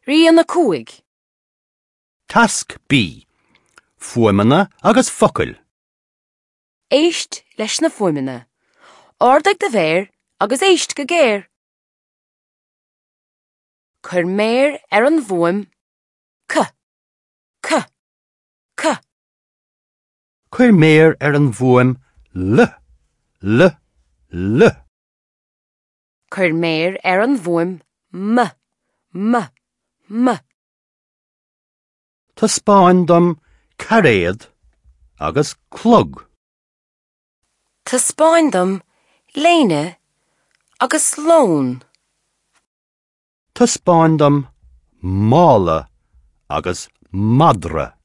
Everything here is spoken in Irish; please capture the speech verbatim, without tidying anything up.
Rian a cúig. Tasc B. Fuaimeanna agus focail. Éist leis na fuaimeanna. Ardaigh do mhéar agus éist go géar. Cuir méar ar an bhfuaim C. C. C. Cuir méar ar an bhfuaim L. L. L. Cuir méar ar an bhfuaim M. M. M. Taispeáin dom cairéad agus clog. Taispeáin dom léine agus lón. Taispeáin dom mála agus madra.